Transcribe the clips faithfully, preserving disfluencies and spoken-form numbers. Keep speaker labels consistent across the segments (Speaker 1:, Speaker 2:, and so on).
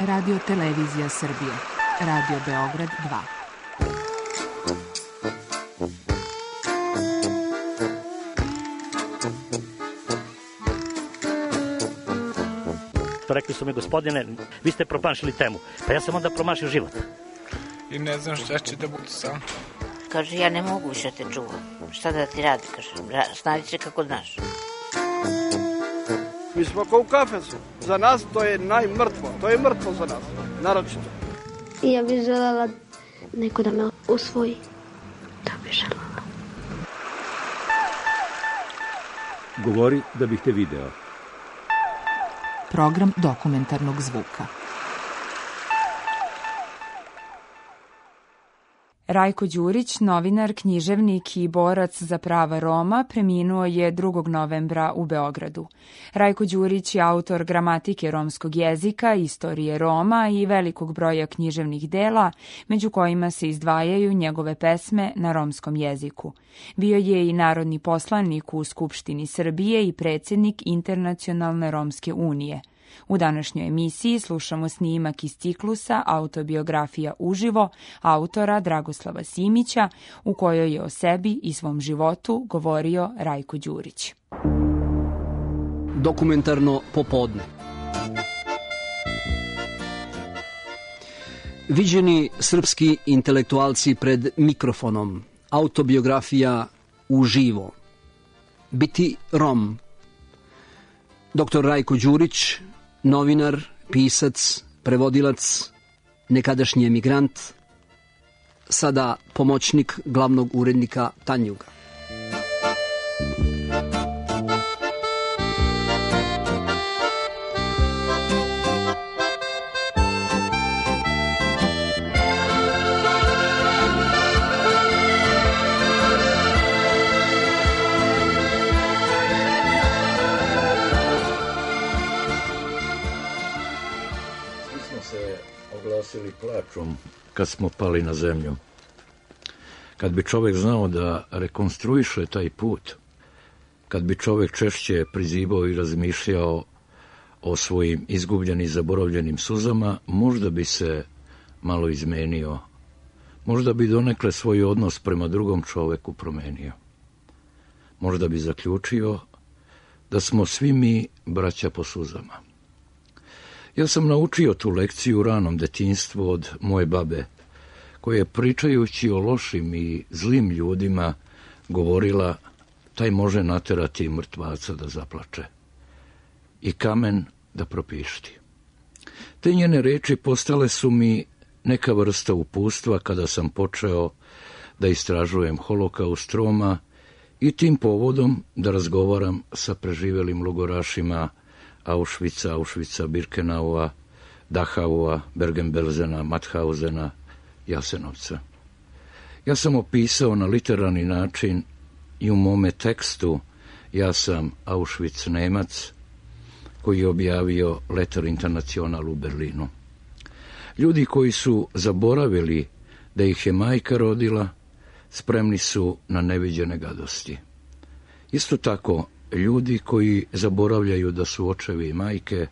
Speaker 1: Radio Televizija Srbije. Radio Beograd dva.
Speaker 2: Rekli su mi, gospodine, vi ste promašili temu. Pa ja sam onda promašio život.
Speaker 3: I ne znam šta će da bude sam.
Speaker 4: Kaže, ja ne mogu više te čuvam. Šta da ti radi, kaže, snađi se kako znaš.
Speaker 5: Mi smo kao u kafesu. Za nas to je najmrtvo. To je mrtvo za nas, naročito.
Speaker 6: I ja bih želela neko da me usvoji. To bih želela.
Speaker 7: Govori da bih te video.
Speaker 1: Program dokumentarnog zvuka.
Speaker 8: Rajko Đurić, novinar, književnik i borac za prava Roma, preminuo je drugog novembra u Beogradu. Rajko Đurić je autor gramatike romskog jezika, istorije Roma i velikog broja književnih dela, među kojima se izdvajaju njegove pesme na romskom jeziku. Bio je i narodni poslanik u Skupštini Srbije i predsjednik Internacionalne romske unije. U današnjoj emisiji slušamo snimak iz ciklusa Autobiografija uživo autora Dragoslava Simića, u kojoj je o sebi i svom životu govorio Rajko Đurić.
Speaker 9: Dokumentarno popodne. Viđeni srpski intelektualci pred mikrofonom. Autobiografija uživo. Biti Rom. Doktor Rajko Đurić, novinar, pisac, prevodilac, nekadašnji emigrant, sada pomoćnik glavnog urednika Tanjuga.
Speaker 10: Oglasili plačom kad smo pali na zemlju. Kad bi čovjek znao da rekonstruiše taj put, kad bi čovjek češće prizivao i razmišljao o svojim izgubljenim, zaboravljenim suzama, možda bi se malo izmenio. Možda bi donekle svoj odnos prema drugom čovjeku promenio. Možda bi zaključio da smo svi mi braća po suzama. Ja sam naučio tu lekciju u ranom detinjstvu od moje babe, koja je pričajući o lošim i zlim ljudima govorila, taj može naterati mrtvaca da zaplače i kamen da propišti. Te njene reči postale su mi neka vrsta upustva kada sam počeo da istražujem holokaust Roma i tim povodom da razgovaram sa preživelim logorašima Auschwitza, Auschwitza, Birkenaua, Dachaua, Bergen-Belsena, Mauthausena, Jasenovca. Ja sam opisao na literarni način i u mome tekstu Ja sam Auschwitz Nemac, koji je objavio Letter International u Berlinu. Ljudi koji su zaboravili da ih je majka rodila, spremni su na neviđene gadosti. Isto tako, ljudi koji zaboravljaju da su očevi i majke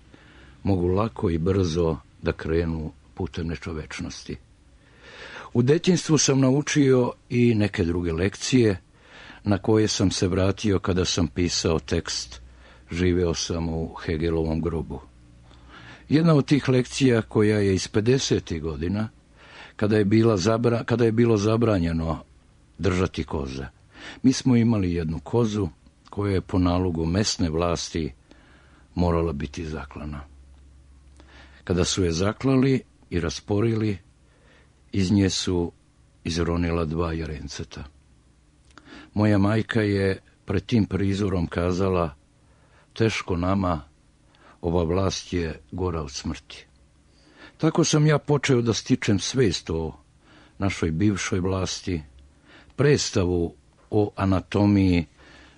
Speaker 10: mogu lako i brzo da krenu putem nečovečnosti. U detinjstvu sam naučio i neke druge lekcije na koje sam se vratio kada sam pisao tekst Živeo sam u Hegelovom grobu. Jedna od tih lekcija koja je iz pedesetih godina, kada je, bila zabra, kada je bilo zabranjeno držati koze. Mi smo imali jednu kozu koja je po nalogu mesne vlasti morala biti zaklana. Kada su je zaklali i rasporili, iz nje su izronila dva jarenceta. Moja majka je pred tim prizorom kazala, teško nama, ova vlast je gora od smrti. Tako sam ja počeo da stičem svest o našoj bivšoj vlasti, predstavu o anatomiji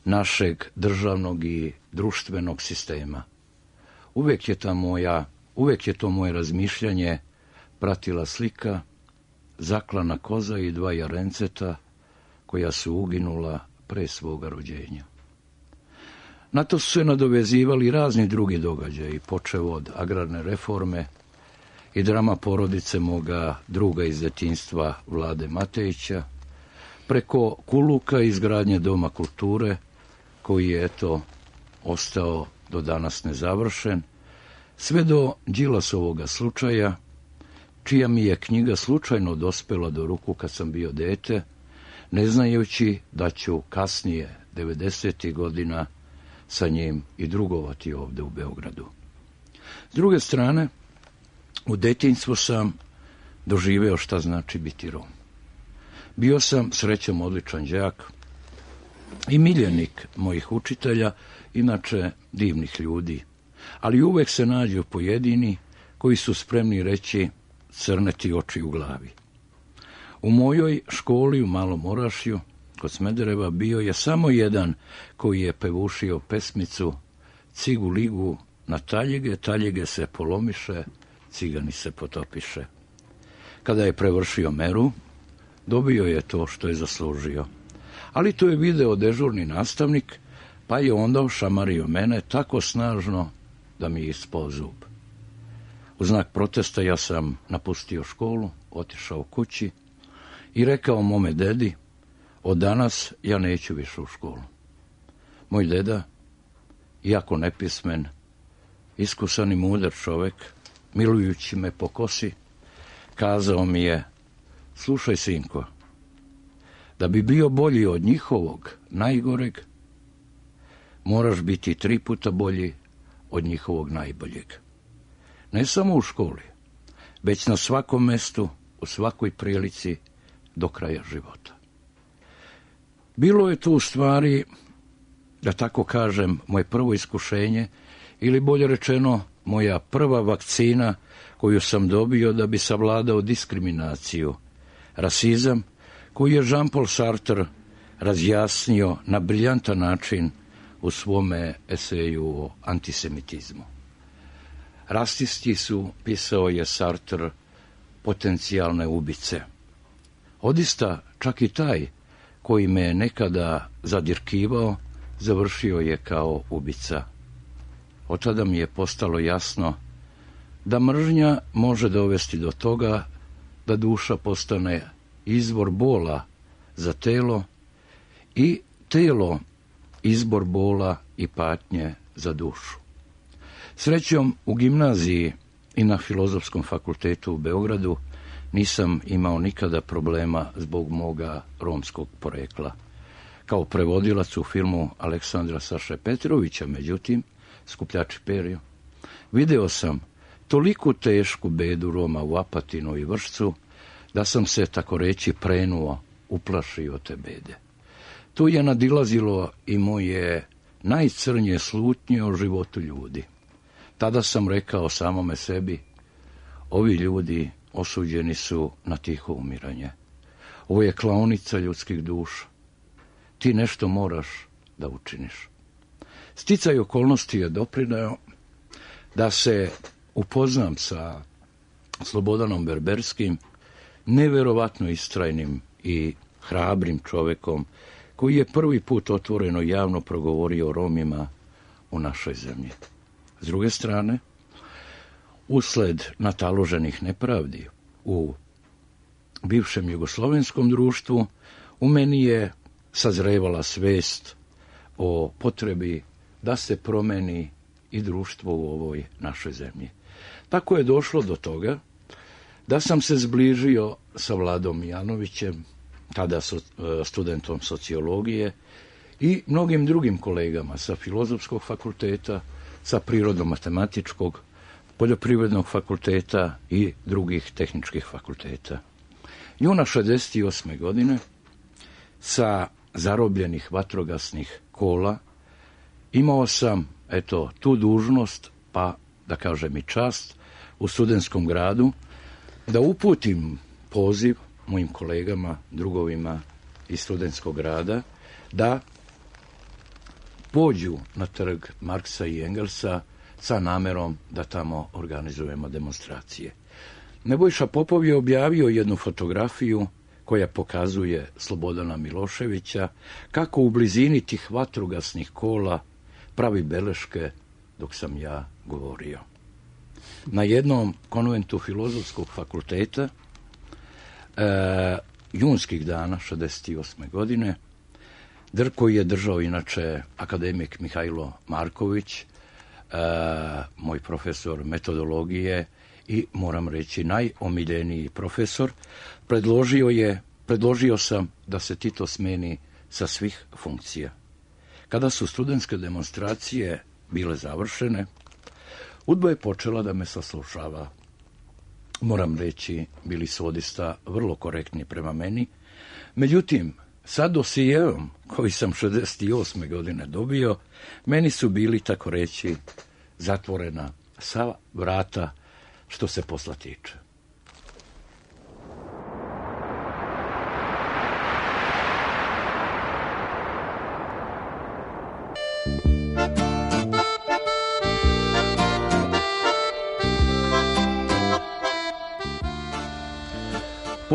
Speaker 10: našeg državnog i društvenog sistema. Uvijek je ta moja, uvijek je to moje razmišljanje pratila slika, zaklana koza i dva jarenceta koja su uginula pre svoga rođenja. Na to su se nadovezivali razni drugi događaji, počev od agrarne reforme i drama porodice moga druga iz djetinjstva Vlade Matejića, preko Kuluka i izgradnje Doma kulture, koji je, eto, ostao do danas nezavršen, sve do Đilasovoga slučaja, čija mi je knjiga slučajno dospela do ruku kad sam bio dete, ne znajući da ću kasnije, devedesetih godina, sa njim i drugovati ovdje u Beogradu. S druge strane, u detinjstvu sam doživeo šta znači biti Rom. Bio sam srećom odličan đak i miljenik mojih učitelja, inače divnih ljudi, ali uvek se nađu pojedini koji su spremni reći crne ti oči u glavi. U mojoj školi u Malom Orašju, kod Smedereva, bio je samo jedan koji je pevušio pesmicu Cigu ligu na taljege, taljege se polomiše, cigani se potopiše. Kada je prevršio meru, dobio je to što je zaslužio. Ali to je video dežurni nastavnik, pa je onda ošamario mene tako snažno da mi je ispao zub. U znak protesta ja sam napustio školu, otišao kući i rekao mome dedi, od danas ja neću više u školu. Moj deda, iako nepismen, iskusan i mudar čovek, milujući me po kosi, kazao mi je, slušaj sinko, da bi bio bolji od njihovog najgoreg, moraš biti tri puta bolji od njihovog najboljeg. Ne samo u školi, već na svakom mestu, u svakoj prilici, do kraja života. Bilo je tu u stvari, da tako kažem, moje prvo iskušenje, ili bolje rečeno, moja prva vakcina koju sam dobio da bi savladao diskriminaciju, rasizam, koji je Jean-Paul Sartre razjasnio na briljantan način u svome eseju o antisemitizmu. Rasisti su, pisao je Sartre, potencijalne ubice. Odista, čak i taj koji me je nekada zadirkivao, završio je kao ubica. Od tada mi je postalo jasno da mržnja može dovesti do toga da duša postane izvor bola za telo i telo izbor bola i patnje za dušu. Srećom, u gimnaziji i na Filozofskom fakultetu u Beogradu nisam imao nikada problema zbog moga romskog porekla. Kao prevodilac u filmu Aleksandra Saše Petrovića, međutim, Skupljači perja, video sam toliku tešku bedu Roma u Apatinu i Vršcu, da sam se, tako reći, prenuo, uplašio te bede. Tu je nadilazilo i moje najcrnje slutnje o životu ljudi. Tada sam rekao samome sebi, ovi ljudi osuđeni su na tiho umiranje. Ovo je klaonica ljudskih duša. Ti nešto moraš da učiniš. Sticaj okolnosti je doprineo da se upoznam sa Slobodanom Berberskim, neverovatno istrajnim i hrabrim čovekom, koji je prvi put otvoreno javno progovorio o Romima u našoj zemlji. S druge strane, usled nataloženih nepravdi u bivšem jugoslovenskom društvu, u meni je sazrevala svest o potrebi da se promeni i društvo u ovoj našoj zemlji. Tako je došlo do toga da sam se zbližio sa Vladom Mijanovićem, tada studentom sociologije, i mnogim drugim kolegama sa Filozofskog fakulteta, sa Prirodno-matematičkog, Poljoprivrednog fakulteta i drugih tehničkih fakulteta. Juna šezdeset osme godine sa zarobljenih vatrogasnih kola imao sam, eto, tu dužnost, pa da kažem i čast, u Studentskom gradu, da uputim poziv mojim kolegama, drugovima iz Studentskog grada, da pođu na trg Marksa i Engelsa sa namerom da tamo organizujemo demonstracije. Nebojša Popov je objavio jednu fotografiju koja pokazuje Slobodana Miloševića kako u blizini tih vatrogasnih kola pravi beleške dok sam ja govorio. na jednom konventu Filozofskog fakulteta e, junskih dana šezdeset osme godine, dr koji je držao inače akademik Mihajlo Marković, e, moj profesor metodologije i moram reći najomiljeniji profesor, predložio je, predložio sam da se Tito smeni sa svih funkcija. Kada su studentske demonstracije bile završene, UDBA je počela da me saslušava. Moram reći, bili su odista vrlo korektni prema meni. Međutim, sa dosijeom koji sam šezdeset osme godine dobio, meni su bili, tako reći, zatvorena sva vrata što se posla tiče.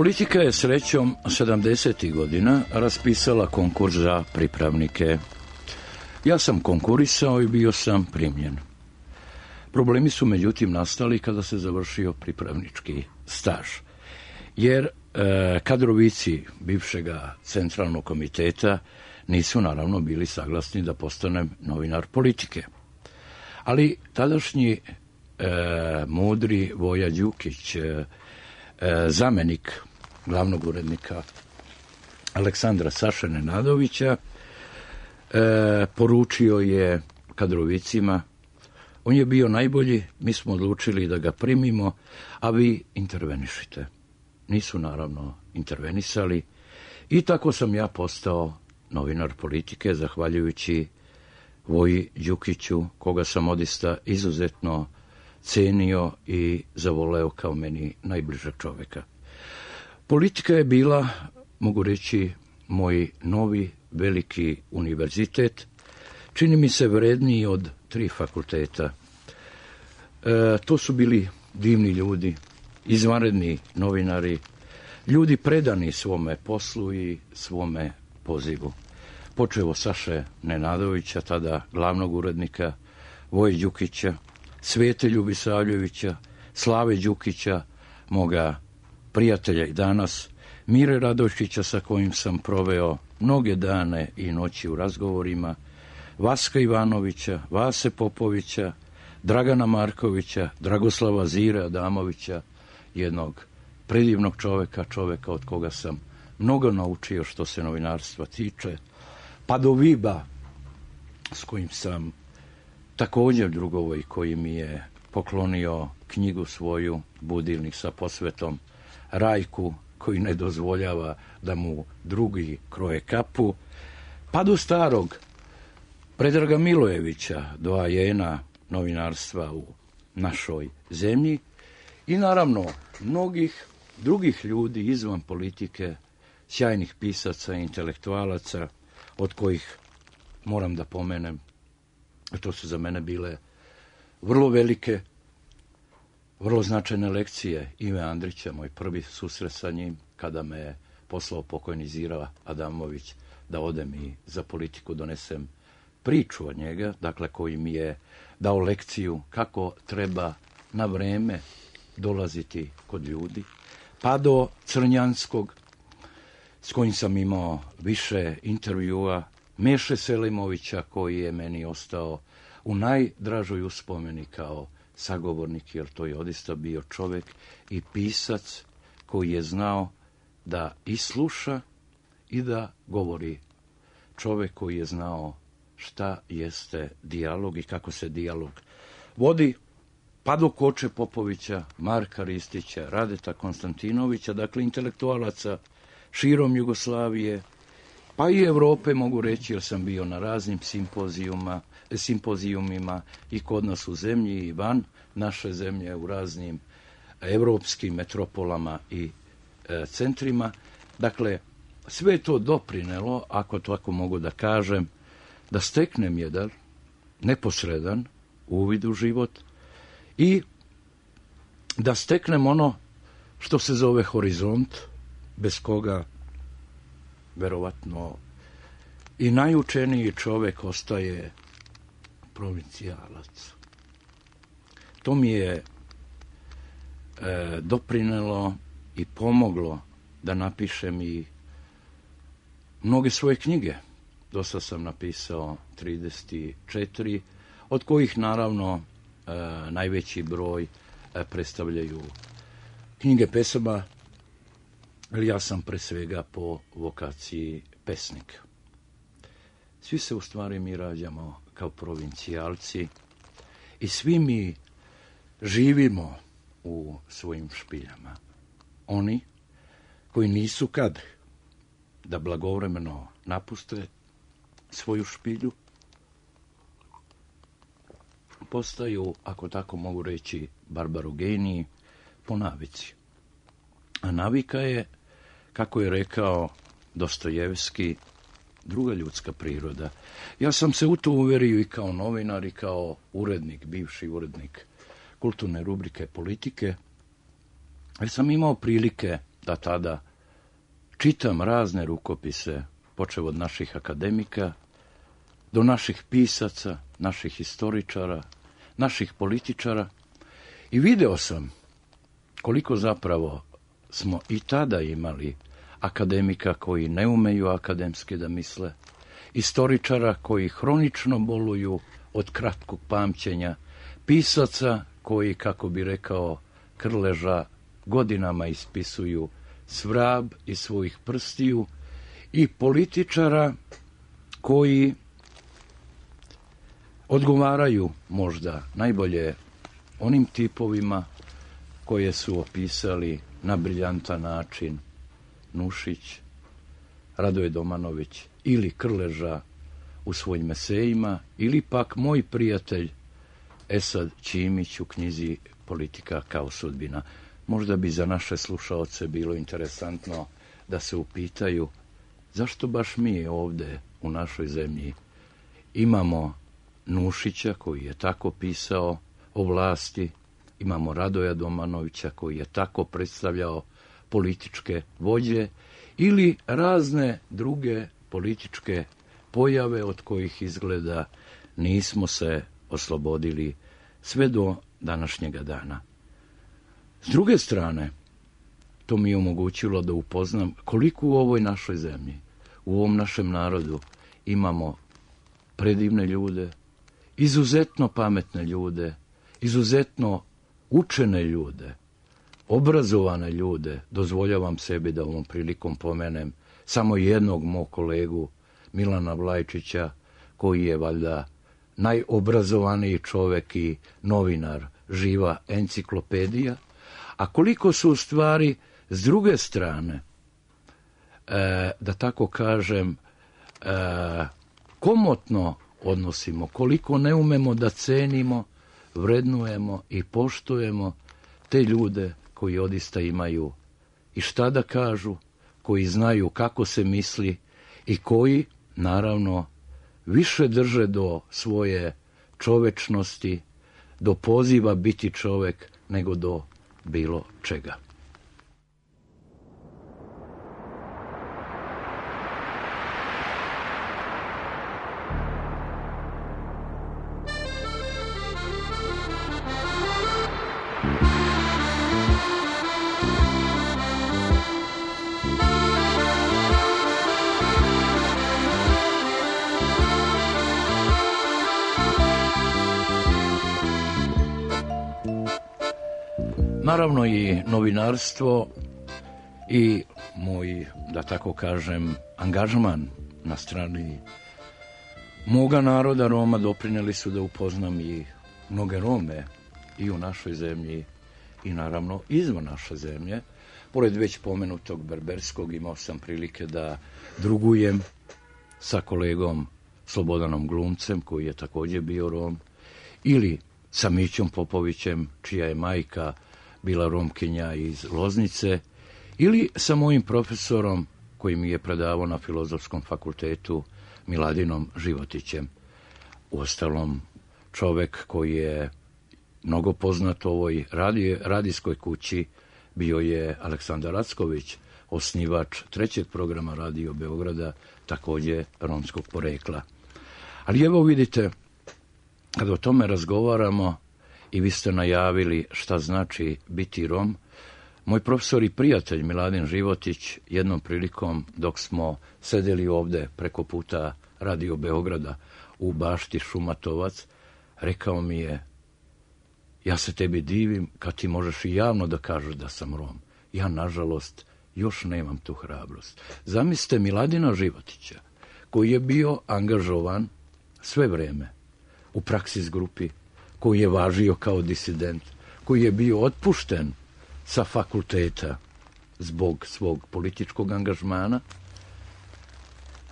Speaker 10: Politika je srećom sedamdesetih godina raspisala konkurs za pripravnike. Ja sam konkurisao i bio sam primljen. Problemi su međutim nastali kada se završio pripravnički staž, jer e, kadrovici bivšega centralnog komiteta nisu naravno bili saglasni da postanem novinar politike. Ali tadašnji e, mudri Voja Đukić, e, zamenik glavnog urednika Aleksandra Saše Nenadovića, e, poručio je kadrovicima, on je bio najbolji, mi smo odlučili da ga primimo, a vi intervenišite. Nisu naravno intervenisali i tako sam ja postao novinar politike, zahvaljujući Voji Đukiću, koga sam odista izuzetno cenio i zavoleo kao meni najbližeg čoveka. Politika je bila, mogu reći, moj novi veliki univerzitet, čini mi se vredniji od tri fakulteta. E, to su bili divni ljudi, izvanredni novinari, ljudi predani svome poslu i svome pozivu. Počevo Saše Nenadovića, tada glavnog urednika, Voje Đukića, Svete Ljubisavljevića, Slave Đukića, moga prijatelja i danas, Mire Radojčića sa kojim sam proveo mnoge dane i noći u razgovorima, Vaska Ivanovića, Vase Popovića, Dragana Markovića, Dragoslava Zire Adamovića, jednog predivnog čoveka, čoveka od koga sam mnogo naučio što se novinarstva tiče, pa do Viba, s kojim sam također drugovoj, koji mi je poklonio knjigu svoju, Budilnik sa posvetom Rajku, koji ne dozvoljava da mu drugi kroje kapu, pa do starog Predraga Milojevića, doajena novinarstva u našoj zemlji i naravno mnogih drugih ljudi izvan politike, sjajnih pisaca i intelektualaca, od kojih moram da pomenem, to su za mene bile vrlo velike, vrlo značajne lekcije Ive Andrića, moj prvi susret sa njim, kada me je poslao pokojni Zira Adamović da odem i za politiku donesem priču od njega, dakle koji mi je dao lekciju kako treba na vreme dolaziti kod ljudi, pa do Crnjanskog, s kojim sam imao više intervjua, Meše Selimovića, koji je meni ostao u najdražoj uspomeni kao sagovornik, jer to je odista bio čovek i pisac koji je znao da i sluša i da govori. Čovek koji je znao šta jeste dijalog i kako se dijalog vodi, pa do Koče Popovića, Marka Ristića, Radeta Konstantinovića, dakle intelektualaca širom Jugoslavije, pa i Evrope, mogu reći, jer sam bio na raznim simpozijuma, simpozijumima i kod nas u zemlji i van naše zemlje, u raznim evropskim metropolama i e, centrima. Dakle, sve to doprinelo, ako to tako mogu da kažem, da steknem jedan neposredan uvid u život i da steknem ono što se zove horizont, bez koga verovatno i najučeniji čovek ostaje provincijalac. To mi je e, doprinelo i pomoglo da napišem i mnoge svoje knjige. Dosta sam napisao trideset četiri, od kojih naravno e, najveći broj e, predstavljaju knjige pesama, ali ja sam pre svega po vokaciji pesnik. Svi se u stvari mi rađamo kao provincijalci i svi mi živimo u svojim špiljama. Oni koji nisu kadri da blagovremeno napuste svoju špilju, postaju, ako tako mogu reći, barbarogeniji po navici. A navika je, kako je rekao Dostojevski, druga ljudska priroda. Ja sam se u to uverio i kao novinar i kao urednik, bivši urednik kulturne rubrike Politike, jer sam imao prilike da tada čitam razne rukopise, počev od naših akademika, do naših pisaca, naših historičara, naših političara, i video sam koliko zapravo smo i tada imali akademika koji ne umeju akademski da misle, istoričara koji hronično boluju od kratkog pamćenja, pisaca koji, kako bi rekao Krleža, godinama ispisuju svrab iz svojih prstiju, i političara koji odgovaraju možda najbolje onim tipovima koje su opisali na briljantan način Nušić, Radoje Domanović ili Krleža u svojim esejima, ili pak moj prijatelj Esad Ćimić u knjizi Politika kao sudbina. Možda bi za naše slušaoce bilo interesantno da se upitaju zašto baš mi ovde u našoj zemlji imamo Nušića koji je tako pisao o vlasti, imamo Radoja Domanovića koji je tako predstavljao političke vođe, ili razne druge političke pojave od kojih izgleda nismo se oslobodili sve do današnjega dana. S druge strane, to mi je omogućilo da upoznam koliko u ovoj našoj zemlji, u ovom našem narodu imamo predivne ljude, izuzetno pametne ljude, izuzetno učene ljude, obrazovane ljude. Dozvoljavam sebi da ovom prilikom pomenem samo jednog mog kolegu, Milana Vlajčića, koji je valjda najobrazovaniji čovek i novinar, živa enciklopedija, a koliko su u stvari s druge strane, e, da tako kažem, e, komotno odnosimo, koliko ne umemo da cenimo, vrednujemo i poštujemo te ljude koji odista imaju i šta da kažu, koji znaju kako se misli i koji, naravno, više drže do svoje čovečnosti, do poziva biti čovek, nego do bilo čega. Naravno i novinarstvo i moj, da tako kažem, angažman na strani moga naroda Roma doprineli su da upoznam i mnoge Rome i u našoj zemlji i naravno izvan naše zemlje. Pored već pomenutog berberskog imao sam prilike da drugujem sa kolegom Slobodanom Glumcem, koji je također bio Rom, ili sa Mićom Popovićem, čija je majka bila Romkinja iz Loznice, ili sa mojim profesorom koji mi je predavao na Filozofskom fakultetu, Miladinom Životićem. Uostalom, čovek koji je mnogo poznat u ovoj radi, radijskoj kući bio je Aleksandar Acković, osnivač trećeg programa Radio Beograda, također romskog porekla. Ali evo vidite, kada o tome razgovaramo, i vi ste najavili šta znači biti Rom. Moj profesor i prijatelj Miladin Životić jednom prilikom dok smo sedeli ovde preko puta Radio Beograda u bašti Šumatovac, rekao mi je: ja se tebi divim kad ti možeš i javno da kažeš da sam Rom. Ja, nažalost, još nemam tu hrabrost. Zamislite Miladina Životića, koji je bio angažovan sve vreme u Praksis grupi, koji je važio kao disident, koji je bio otpušten sa fakulteta zbog svog političkog angažmana,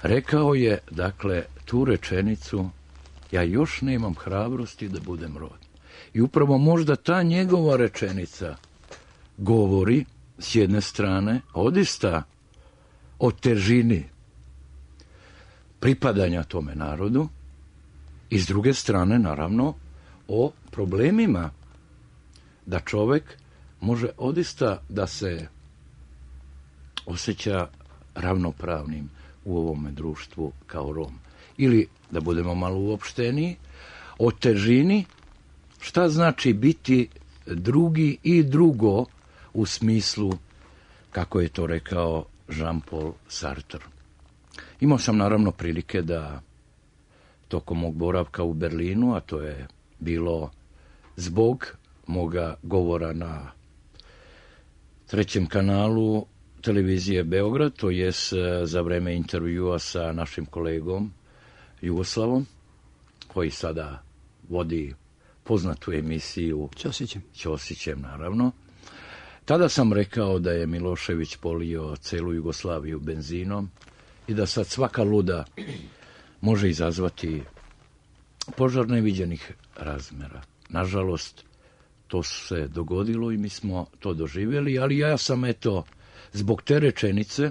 Speaker 10: rekao je, dakle, tu rečenicu: ja još nemam hrabrosti da budem Rom. I upravo možda ta njegova rečenica govori, s jedne strane, odista o težini pripadanja tome narodu i s druge strane, naravno, o problemima da čovek može odista da se osjeća ravnopravnim u ovome društvu kao Rom. Ili, da budemo malo uopšteniji, o težini šta znači biti drugi i drugo u smislu, kako je to rekao Jean-Paul Sartre. Imao sam naravno prilike da tokom mog boravka u Berlinu, a to je bilo zbog moga govora na trećem kanalu televizije Beograd, to je za vreme intervjua sa našim kolegom Jugoslavom, koji sada vodi poznatu emisiju
Speaker 9: Ćosićem.
Speaker 10: Ćosićem, naravno. Tada sam rekao da je Milošević polio celu Jugoslaviju benzinom i da sad svaka luda može izazvati požar neviđenih razmera. Nažalost, to se dogodilo i mi smo to doživjeli, ali ja sam, eto, zbog te rečenice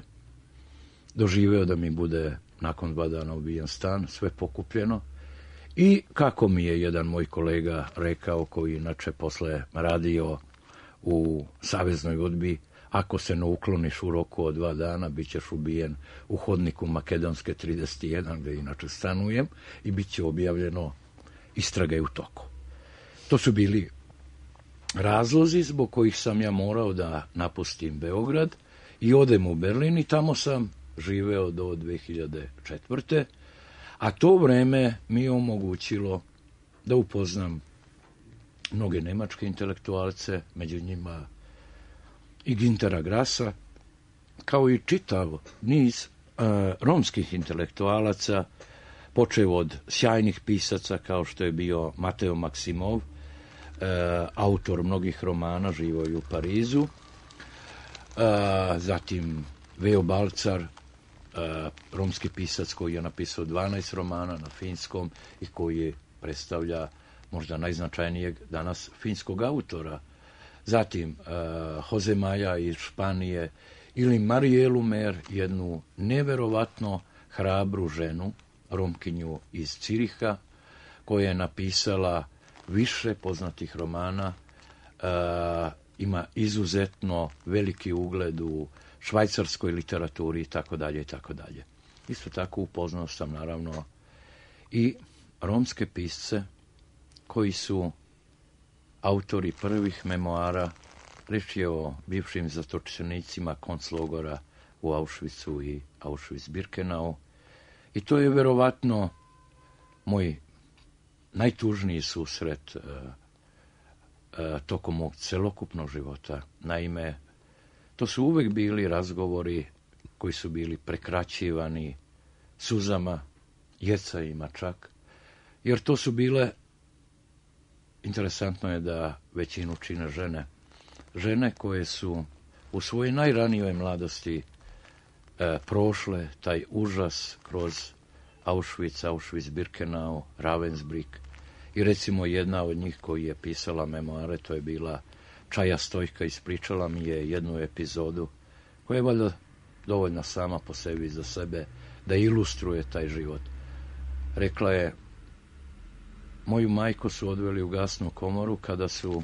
Speaker 10: doživeo da mi bude nakon dva dana ubijen stan, sve pokupljeno. I kako mi je jedan moj kolega rekao, koji inače posle radio u Saveznoj udbi: ako se ne ukloniš u roku od dva dana, bit ćeš ubijen u hodniku Makedonske trideset jedan, gde inače stanujem, i bit će objavljeno istraga je u toku. To su bili razlozi zbog kojih sam ja morao da napustim Beograd i odem u Berlin, i tamo sam živeo do dve hiljade četvrte. A to vreme mi je omogućilo da upoznam mnoge nemačke intelektualce, među njima i Gintera Grasa, kao i čitav niz uh, romskih intelektualaca, počev od sjajnih pisaca kao što je bio Mateo Maksimov, uh, autor mnogih romana, živo je u Parizu, uh, zatim Veo Balcar, Uh, romski pisac koji je napisao dvanaest romana na finskom i koji predstavlja možda najznačajnijeg danas finskog autora. Zatim uh, Jose Maja iz Španije ili Marielu Mer, jednu neverovatno hrabru ženu, Romkinju iz Ciriha, koja je napisala više poznatih romana, uh, ima izuzetno veliki ugled u švajcarskoj literaturi i tako dalje i tako dalje. Isto tako upoznao sam naravno i romske pisce koji su autori prvih memoara. Reč je o bivšim zatočenicima konclogora u Auschwitzu i Auschwitz-Birkenau. I to je verovatno moj najtužniji susret uh, uh, tokom mog celokupnog života. Naime, to su uvek bili razgovori koji su bili prekraćivani suzama, jecajima čak, jer to su bile, interesantno je da većinu čine žene, žene koje su u svojoj najranijoj mladosti e, prošle taj užas kroz Auschwitz, Auschwitz-Birkenau, Ravensbrück, i recimo jedna od njih koji je pisala memoare, to je bila Čaja Stojka, ispričala mi je jednu epizodu koja je valjda dovoljna sama po sebi za sebe da ilustruje taj život. Rekla je: moju majku su odveli u gasnu komoru kada su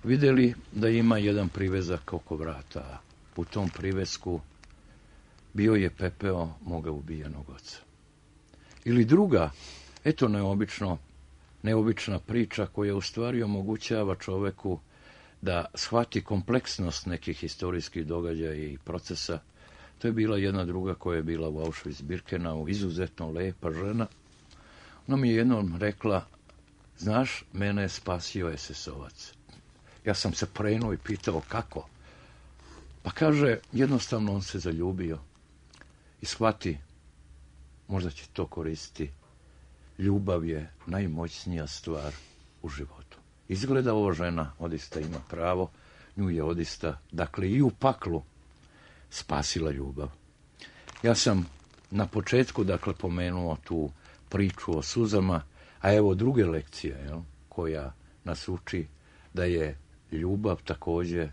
Speaker 10: vidjeli da ima jedan privezak oko vrata. U tom privezku bio je pepeo moga ubijenog oca. Ili druga, eto neobično, neobična priča koja u stvari omogućava čoveku da shvati kompleksnost nekih historijskih događaja i procesa. To je bila jedna druga koja je bila u Auschwitz-Birkenau, izuzetno lepa žena. Ona mi je jednom rekla, znaš, mene je spasio es es ovac. Ja sam se prenuo i pitao kako. Pa kaže, jednostavno on se zaljubio i shvati, možda će to koristiti. Ljubav je najmoćnija stvar u životu. Izgleda ova žena odista ima pravo, nju je odista, dakle i u paklu, spasila ljubav. Ja sam na početku, dakle, pomenuo tu priču o suzama, a evo druge lekcije, jel, koja nas uči da je ljubav također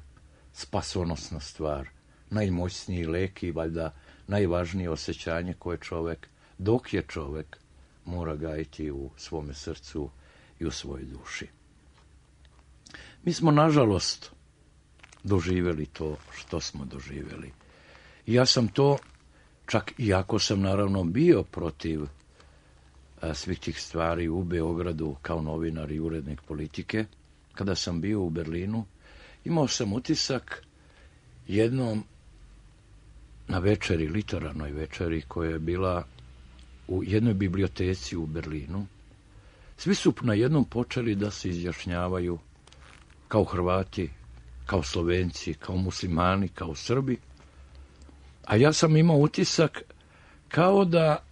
Speaker 10: spasonosna stvar, najmoćniji lek i valjda najvažnije osjećanje koje čovjek, dok je čovjek, mora gajiti u svome srcu i u svojoj duši. Mi smo, nažalost, doživjeli to što smo doživjeli. I ja sam to, čak iako sam naravno bio protiv a, svih tih stvari u Beogradu kao novinar i urednik Politike, kada sam bio u Berlinu, imao sam utisak jednom na večeri, literarnoj večeri, koja je bila u jednoj biblioteci u Berlinu. Svi su na jednom počeli da se izjašnjavaju kao Hrvati, kao Slovenci, kao muslimani, kao Srbi. A ja sam imao utisak kao da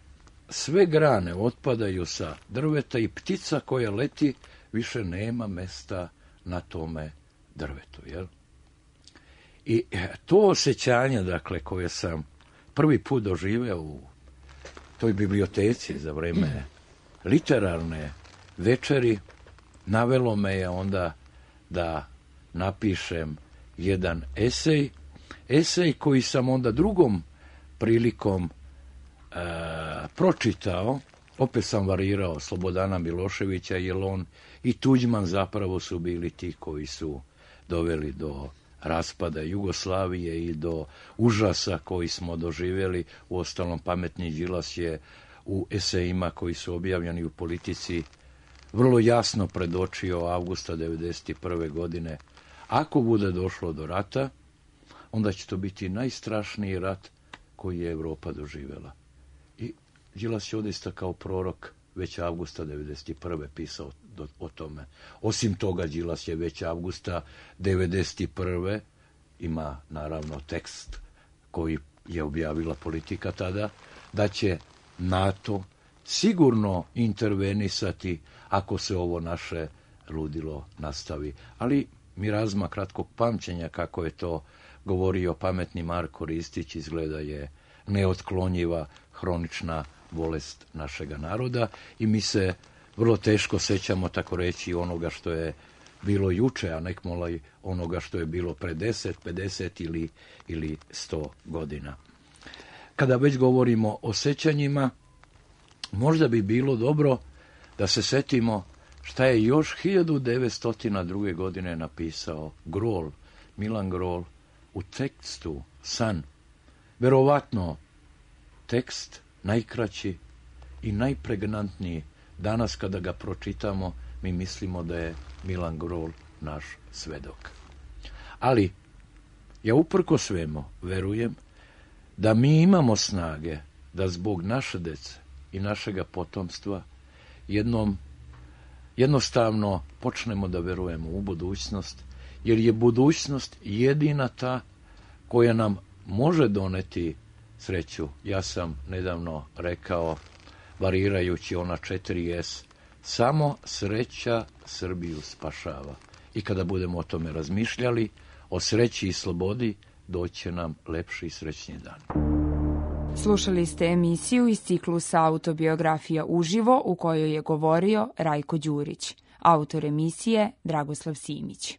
Speaker 10: sve grane otpadaju sa drveta i ptica koja leti više nema mesta na tome drvetu, jel? I to osjećanje, dakle, koje sam prvi put doživeo u toj biblioteci za vreme literarne večeri, navelo me je onda da napišem jedan esej, esej koji sam onda drugom prilikom e, pročitao, opet sam varirao Slobodana Miloševića, jer on i Tuđman zapravo su bili ti koji su doveli do raspada Jugoslavije i do užasa koji smo doživjeli. Uostalom, pametni Đilas je u esejima koji su objavljeni u Politici vrlo jasno predočio avgusta devedeset prve godine. Ako bude došlo do rata, onda će to biti najstrašniji rat koji je Evropa doživjela. I Đilas je odista kao prorok već avgusta devedeset prve pisao do, o tome. Osim toga, Đilas je već avgusta devedeset prve ima naravno tekst koji je objavila Politika tada, da će NATO sigurno intervenisati ako se ovo naše ludilo nastavi. Ali mirazma kratkog pamćenja, kako je to govorio pametni Marko Ristić, izgleda je neotklonjiva hronična bolest našega naroda i mi se vrlo teško sećamo, tako reći, onoga što je bilo juče, a nek molaj onoga što je bilo pre deset, pedeset ili, ili sto godina. Kada već govorimo o sećanjima, možda bi bilo dobro da se setimo šta je još hiljadu devetsto druge. godine napisao Grol, Milan Grol, u tekstu San. Verovatno tekst najkraći i najpregnantniji. Danas kada ga pročitamo, mi mislimo da je Milan Grol naš svedok. Ali ja uprko svemu verujem da mi imamo snage da zbog naše dece i našega potomstva jednom jednostavno počnemo da verujemo u budućnost, jer je budućnost jedina ta koja nam može doneti sreću. Ja sam nedavno rekao, varirajući ona četiri es, samo sreća Srbiju spašava. I kada budemo o tome razmišljali, o sreći i slobodi, doće nam lepši i srećni dan.
Speaker 8: Slušali ste emisiju iz ciklusa Autobiografija uživo u kojoj je govorio Rajko Đurić. Autor emisije Dragoslav Simić.